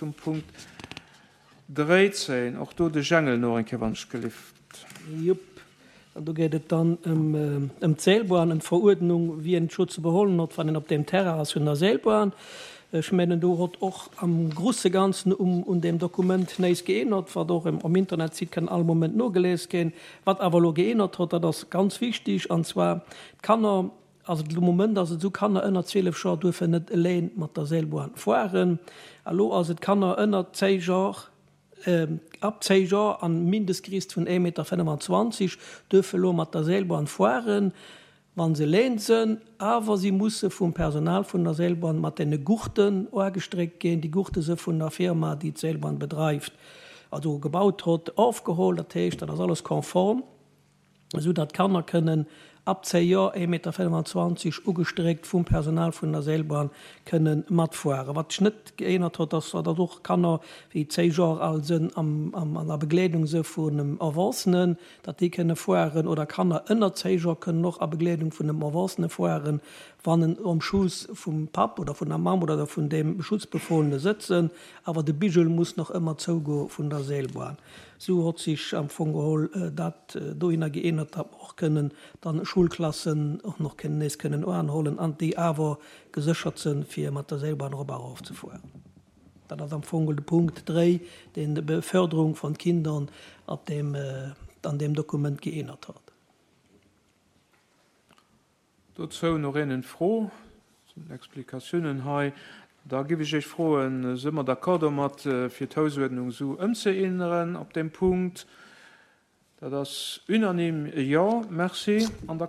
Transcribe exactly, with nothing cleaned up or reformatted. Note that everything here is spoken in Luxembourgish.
zum Punkt dräizéng. Och do de Jangel no eng Kéier, wann ech gelift. Jupp. An do geet et dann ëm ëm d'Seilbahn, ëm d'Veruerdnung, wien d'Scho ze beholen hott, wann een op deem Terrain ass vun der Seilbahn. Ech mengen, do hott och am grusse Ganzen um un deem Dokument néis geénnert, wat och um Internetsite kann all Moment nogelies ginn. Wat awer elo geénnert hott, dat ass ganz wichtig, an zwar d'Kanner, also de Moment ass et esou, Kanner ënner zwielef Joer duerfen net eleng mat der Seilbahn fueren. Elo ass et Kanner ënner zéi Joer, ab zéi Joer an Mindestgriisst vun ee Meter fënnefenzwanzeg duerfe elo mat der Seilbahn fueren, wa se eleng sënn, awer si musse vum Personal vun der Seilbahn mat deene Gurten oagestréckt ginn. Déi Gurte se vun der Firma, déi d'Seilbahn bedreift, also gebaut hott, ofgeholl. Dat heescht, dat ass alles konform, esou datt d'Kanner kënnen ab zéi Joer, ee Meter fënnefenzwanzeg, ugestréckt vum Personal vun der Seilbahn kënnen matfueren. Wat sech net geännert huet, ass, datt och Kanner, déi zéi Joer al sënn, am, am, an der Begleedung se vun engem Erwuessenen, datt déi kënne fueren, oder Kanner ënner zéi Joer kënnen och a Begleedung vun engem Erwuessene fueren, wann en um Schuss vum Papp oder vun der Mamm oder vun deem Schutzbefohlene sëtzen, awer de Bigel muss nach ëmmer zougoe vun der Seilbahn. Sou hott sech am Fong geholl dat dohinner geännert, datt mer och kënnen dann Schulklassen och nach kënnen nees kënnen oanhollen an déi awer geséchert sënn, fir mat der Seilbahn erop a erof ze fueren. Dat ass am Fong geholl de Punkt dréi, deen d'Beförderung von Kindern op deem, an deem Dokument geännert hott. Dozou nach een Fro, sinn Explikatiounen hei. Da giff ech iech froen, si mer d'accord domat, fir d'Hausuerdnung sou ëmzeänneren op deem Punkt? Dat ass unanime, jo, merci. An da